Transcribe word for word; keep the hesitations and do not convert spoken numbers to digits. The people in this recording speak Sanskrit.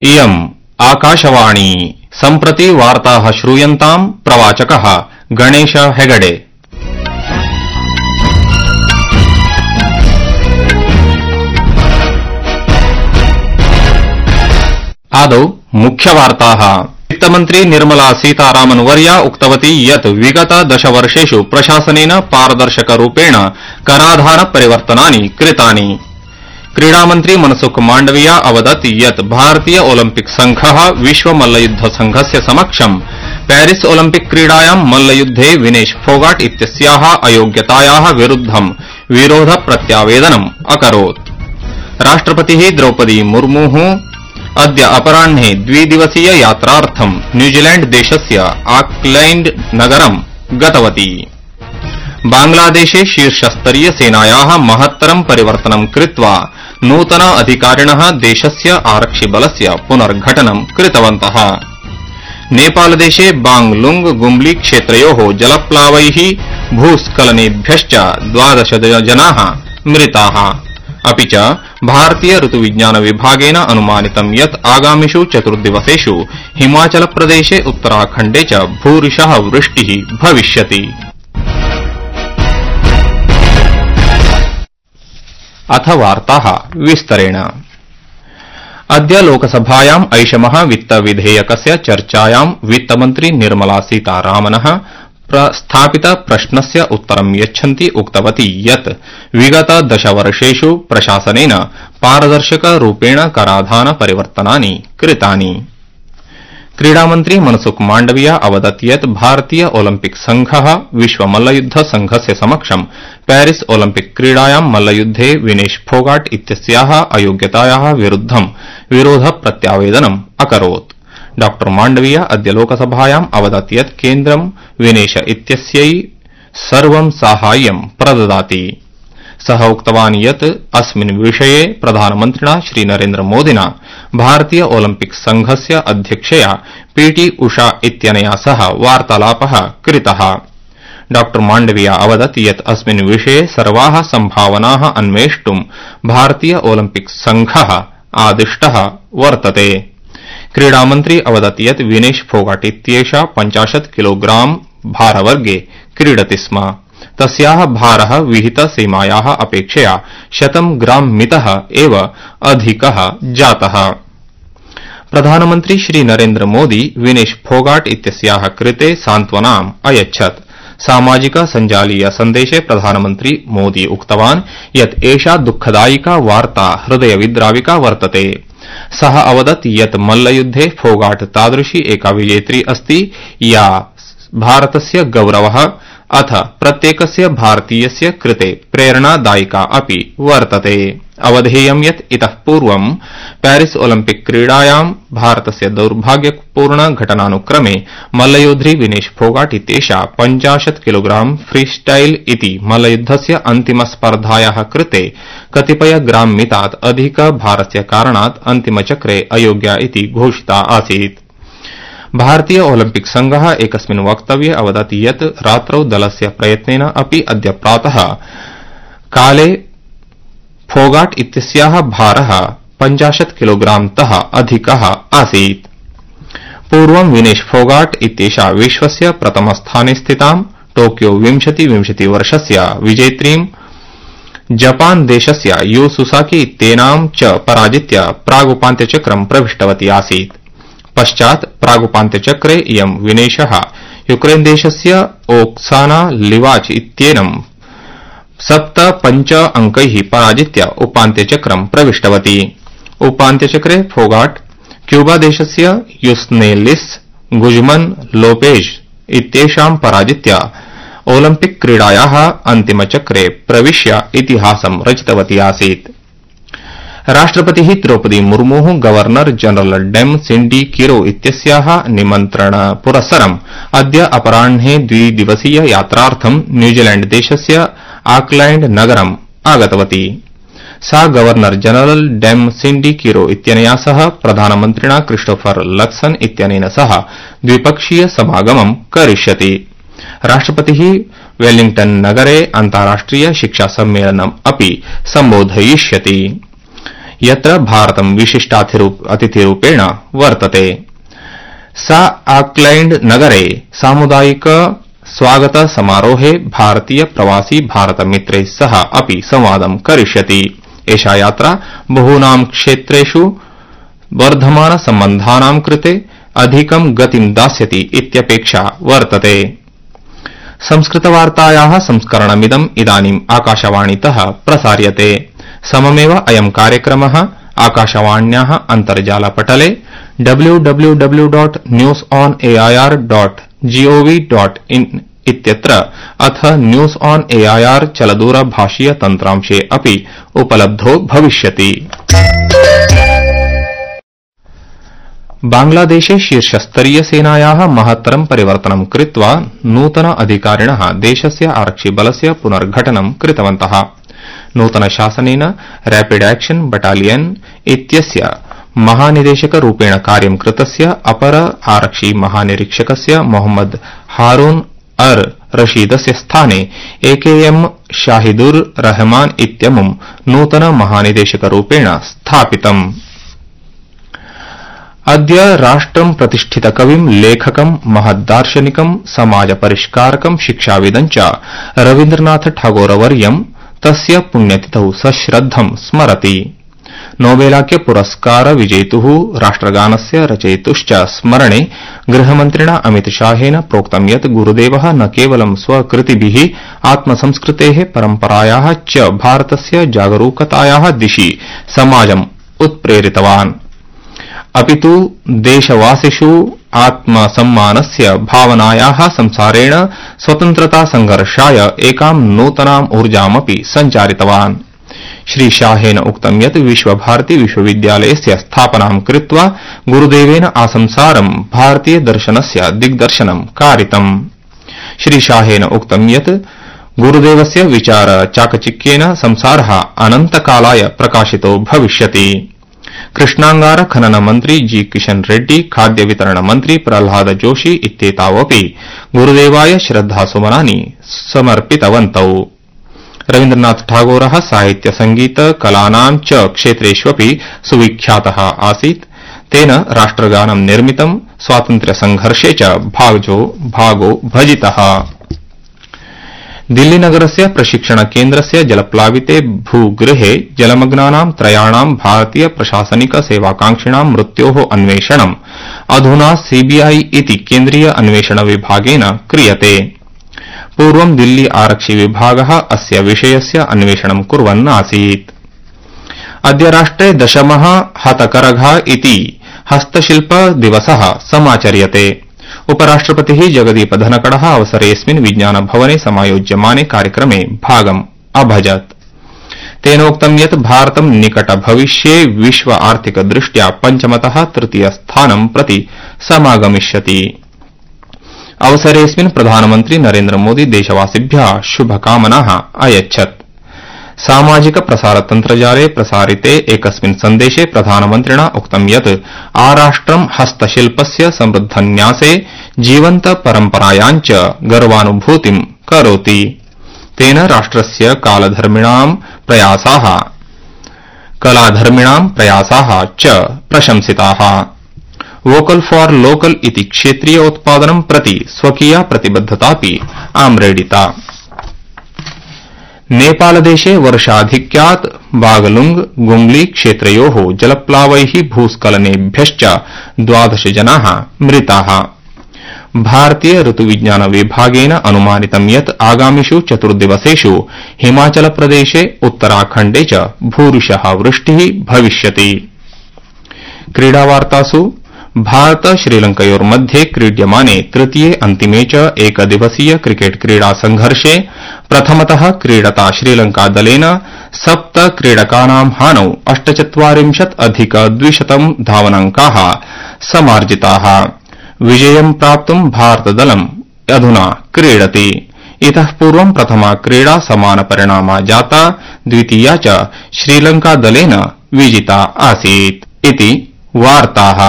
इयम् आकाशवाणी सम्प्रति वार्ताः श्रूयन्ताम् प्रवाचकः गणेश हेगडे। आदौ मुख्यवार्ताः। वित्तमन्त्री निर्मला सीतारामन् वर्या उक्तवती यत् विगत दशवर्षेषु प्रशासनेन पारदर्शकरूपेण कराधान परिवर्तनानि कृतानि। क्रीडामन्त्री मनसुख माण्डविया अवदत् यत् भारतीय ओलम्पिक संघः विश्व मल्लयुद्ध संघस्य समक्षं पेरिस ओलम्पिक क्रीडायां मल्लयुद्धे विनेश फोगाट इत्यस्याः अयोग्यतायाः विरुद्धं विरोध प्रत्यावेदनम् अकरोत्। राष्ट्रपतिः द्रौपदी मुर्मुः अद्य अपराह्ने द्विदिवसीय यात्रार्थं न्यूजीलैण्ड देशस्य ऑकलैण्ड नगरं गतवती। बांग्लादेशे शीर्षस्तरीय सेनायाः महत्तरं परिवर्तनं कृत्वा नूतन अधिकारिणः देशस्य आरक्षिबलस्य पुनर्घटनं कृतवन्तः। नेपालदेशे बांगलुंग गुम्ली क्षेत्रयोः जलप्लावैः भूस्खलनेभ्यश्च द्वादश जनाः मृताः। अपि च भारतीय ऋतुविज्ञान विभागेन अनुमानितं यत् आगामिषु चतुर्दिवसेषु हिमाचलप्रदेशे उत्तराखण्डे च भूरिशः वृष्टिः भविष्यति। अथ वार्ताः विस्तरेण। अद्य लोकसभायाम् ऐषमः वित्तविधेयकस्य चर्चायां वित्तमन्त्री निर्मला सीतारामनः प्रस्थापित प्रश्नस्य उत्तरं यच्छन्ती उक्तवती यत् विगत दशवर्षेषु प्रशासनेन पारदर्शकरूपेण कराधान परिवर्तनानि कृतानि। क्रीडामन्त्री मनसुख माण्डविया अवदत् यत् भारतीय ओलम्पिक संघः विश्व मल्लयुद्ध संघस्य समक्षं पेरिस ओलम्पिक क्रीडायां मल्लयुद्धे विनेश फोगाट इत्यस्याः अयोग्यतायाः विरुद्धं विरोध प्रत्यावेदनम् अकरोत्। डॉ माण्डविया अद्य लोकसभायाम् अवदत् यत् केन्द्रं विनेश इत्यस्यै सर्वं साहाय्यं प्रददाति। सः उक्तवान् यत् अस्मिन् विषये प्रधानमन्त्रिणा श्रीनरेन्द्र मोदिना भारतीय ओलम्पिक संघस्य अध्यक्षया पीटी उषा इत्यनया सह वार्तालापः कृतः। डॉ माण्डविया अवदत् यत् अस्मिन् विषये सर्वाः सम्भावनाः अन्वेष्टुं भारतीय ओलम्पिक संघः आदिष्टः वर्तते। क्रीडामन्त्री अवदत् यत् विनेश फोगाट इत्येषा पञ्चाशत् किलोग्राम भारवर्गे क्रीडति स्म। तस्याः भारः विहित सीमायाः अपेक्षया शतं ग्राम मितः एव अधिकः जातः। प्रधानमन्त्री श्रीनरेन्द्र मोदी विनेश फोगाट इत्यस्याः कृते सान्त्वनाम् अयच्छत्। सामाजिक सञ्जालीय सन्देशे प्रधानमन्त्री मोदी उक्तवान् यत् एषा दुःखदायिका वार्ता हृदयविद्राविका वर्तते। सः अवदत् यत् मल्लयुद्धे फोगाट तादृशी एका विजेत्री अस्ति या भारतस्य गौरवः अथ प्रत्येकस्य भारतीयस्य कृते प्रेरणादायिका अपि वर्तते। अवधेयं यत् इतः पूर्वं पेरिस ओलम्पिक क्रीडायां भारतस्य दौर्भाग्यपूर्ण घटनानुक्रमे मल्लयोधी विनेश फोगाट इत्येषा पञ्चाशत् किलोग्राम फ्रीस्टाइल इति मल्लयुद्धस्य अन्तिमस्पर्धायाः कृते कतिपय ग्राम मितात् अधिक भारस्य कारणात् अन्तिमचक्रे अयोग्या इति घोषिता आसीत्। भारतीय ओलम्पिक संघः एकस्मिन् वक्तव्ये अवदत् यत् रात्रौ दलस्य प्रयत्नेन अपि अद्य प्रातः काले फोगाट इत्यस्याः भारः पञ्चाशत् किलोग्रामतः अधिकः आसीत्। पूर्वं विनेश फोगाट इत्येषा विश्वस्य प्रथमस्थाने स्थितां टोक्यो विंशति विंशति वर्षस्य विजेत्रीं जपान देशस्य यू सुसाकी इत्येनां च पराजित्य प्रागुपान्त्यचक्रं प्रविष्टवती आसीत्। पश्चात् प्रागुपान्त्यचक्रे इयं विनेशः यूक्रेन देशस्य ओक्साना लिवाच इत्येनं सप्त पञ्च अंकैः पराजित्य उपान्त्यचक्रं प्रविष्टवती। उपान्त्यचक्रे फोगाट क्यूबा देशस्य युस्नेलिस गुजमन लोपेज इत्येषां पराजित्य ओलम्पिक क्रीडायाः अन्तिमचक्रे प्रविश्य इतिहासं रचितवती आसीत्। राष्ट्रपतिः Draupadi मुर्मुः governor general dam सिंडी Kiro इत्यस्याः निमन्त्रणपुरस्सरम् अद्य अपराह्ने द्विदिवसीय यात्रार्थं न्यूजीलैण्ड देशस्य ऑकलैण्ड नगरम् आगतवती। सा गवर्नर जनरल डेम सिंडी किरो इत्यनया सह प्रधानमन्त्रिणा क्रिस्टोफर लक्सन इत्यनेन सह द्विपक्षीय समागमं करिष्यति। राष्ट्रपतिः वेलिंगटन नगरे अन्ताराष्ट्रिय शिक्षा सम्मेलनम् अपि सम्बोधयिष्यति। यत्र भारतं विशिष्टातिथिरूपेण वर्तते। सा ऑकलैंड नगरे सामुदायिक स्वागत समारोहे भारतीय प्रवासी भारत मित्रैः सह अपि संवादं करिष्यति। एषा यात्रा बहूनां क्षेत्रेषु वर्धमान सम्बन्धानां कृते अधिकं गतिं दास्यति इत्यपेक्षा वर्तते। संस्कृतवार्तायाः संस्करणमिदम् इदानीम् आकाशवाणीतः प्रसार्यते। सममेव अयं कार्यक्रमः आकाशवाण्याः अन्तर्जालपटले W W W dot news on AIR dot G O V dot in इत्यत्र अथ न्यूज ऑन एआईआर चलदूरभाषीय तन्त्रांशे अपि उपलब्धो भविष्यति। बांग्लादेशे शीर्षस्तरीय सेनायाः महत्तरं परिवर्तनं कृत्वा नूतन अधिकारिणः देशस्य आरक्षिबलस्य पुनर्घटनं कृतवन्तः। नूतन शासनेन रैपिड एक्शन बटालियन इत्यस्य महानिदेशकरूपेण कार्यं कृतस्य अपर आरक्षि महानिरीक्षकस्य मोहम्मद हारून अर रशीदस्य स्थाने एकेएम शाहिदुर रहमान इत्यमुं नूतन महानिदेशकरूपेण स्थापितम्। अद्य राष्ट्रं प्रतिष्ठितकविं लेखकं महद्दार्शनिकं समाजपरिष्कारकं शिक्षाविदं च रवीन्द्रनाथ ठागोरवर्यं तस्य पुण्यतिथौ सश्रद्धं स्मरति। नोबेलाख्य पुरस्कार विजेतुः राष्ट्रगानस्य रचयितुश्च स्मरणे गृहमन्त्रिणा अमितशाहेन प्रोक्तं यत् गुरुदेवः न केवलं स्वकृतिभिः आत्मसंस्कृतेः परम्परायाः च भारतस्य जागरूकतायाः दिशि समाजम् उत्प्रेरितवान्, अपितु देशवासिषु आत्मसम्मानस्य भावनायाः संसारेण स्वतन्त्रता संघर्षाय एकां नूतनाम् ऊर्जामपि सञ्चारितवान्। श्री शाहेन उक्तं यत् विश्वभारती विश्वविद्यालयस्य स्थापनां कृत्वा गुरुदेवेन आसंसारं भारतीय दर्शनस्य दिग्दर्शनं कारितम्। श्री शाहेन उक्तं यत् गुरुदेवस्य विचार चाकचिक्येन संसारः अनन्तकालाय प्रकाशितो भविष्यति। कृष्णांगार खनन मंत्री जी किशन रेड्डी, खाद्य वितरण मंत्री प्रह्लाद जोशी इत्येतावपि गुरुदेवाय श्रद्धासुमनानि समर्पितवन्तौ। रवीन्द्रनाथ ठागोरः साहित्य संगीत कलानां च क्षेत्रेष्वपि सुविख्यातः आसीत्। तेन राष्ट्रगानं निर्मितं, स्वातन्त्र्य संघर्षे च भागो भागो भजितः। दिल्लीनगरस्य प्रशिक्षण केन्द्रस्य जलप्लाविते भूगृहे जलमग्नानां त्रयाणां भारतीय प्रशासनिक सेवाकांक्षिणां मृत्योः अन्वेषणम् अधुना सीबीआई इति केन्द्रीय अन्वेषण विभागेन क्रियते। पूर्वं दिल्ली आरक्षि विभागः अस्य विषयस्य अन्वेषणं कुर्वन् आसीत्। अद्य राष्ट्रे दशमः हतकरघा इति हस्तशिल्प दिवसः समाचर्यते। उपराष्ट्रपतिः जगदीप धनकड़ः अवसरेऽस्मिन् विज्ञान भवने समायोज्यमाने कार्यक्रमे भागम् अभजत्। तेनोक्तं यत् भारतं निकट भविष्ये विश्व आर्थिक दृष्ट्या पंचमतः तृतीय स्थानं प्रति समागमिष्यति। अवसरेऽस्मिन् प्रधानमन्त्री नरेन्द्र मोदी देशवासिभ्यः शुभकामनाः अयच्छत्। सामाजिक प्रसारतन्त्रजाले प्रसारिते एकस्मिन् सन्देशे प्रधानमन्त्रिणा उक्तं यत् आराष्ट्रं हस्तशिल्पस्य समृद्धन्यासे जीवन्त परम्परायाञ्च गर्वानुभूतिं करोति। तेन राष्ट्रस्य कालधर्मिणां प्रयासाः कलाधर्मिणां प्रयासाः च प्रशंसिताः। वोकल फॉर लोकल इति क्षेत्रीय उत्पादनं प्रति स्वकीया प्रतिबद्धतापि आम्रेडिता। नेपालदेशे वर्षाधिक्यात् बागलुंग गुंगली क्षेत्रयोः जलप्लावैः भूस्खलनेभ्यश्च द्वादश जनाः मृताः। भारतीय ऋतुविज्ञान विभागेन अनुमानितं यत् आगामिषु चतुर्दिवसेषु हिमाचल प्रदेशे उत्तराखण्डे च भूरिशः वृष्टिः भविष्यति। क्रीडावार्तासु भारत श्रीलंकयोर्मध्ये क्रीड्यमाने तृतीये अन्तिमे च एकदिवसीय क्रिकेट क्रीडा संघर्षे प्रथमतः क्रीडता श्रीलंका दलेन सप्त क्रीडकानां हानौ अष्टचत्वारिंशत् अधिक द्विशतं धावनाङ्काः समार्जिताः। विजयं प्राप्तुं भारतदलम् अधुना क्रीडति। इतः पूर्वं प्रथमा क्रीडा समानपरिणामा जाता, द्वितीया च श्रीलंका दलेन विजिता आसीत् इति वार्ताः।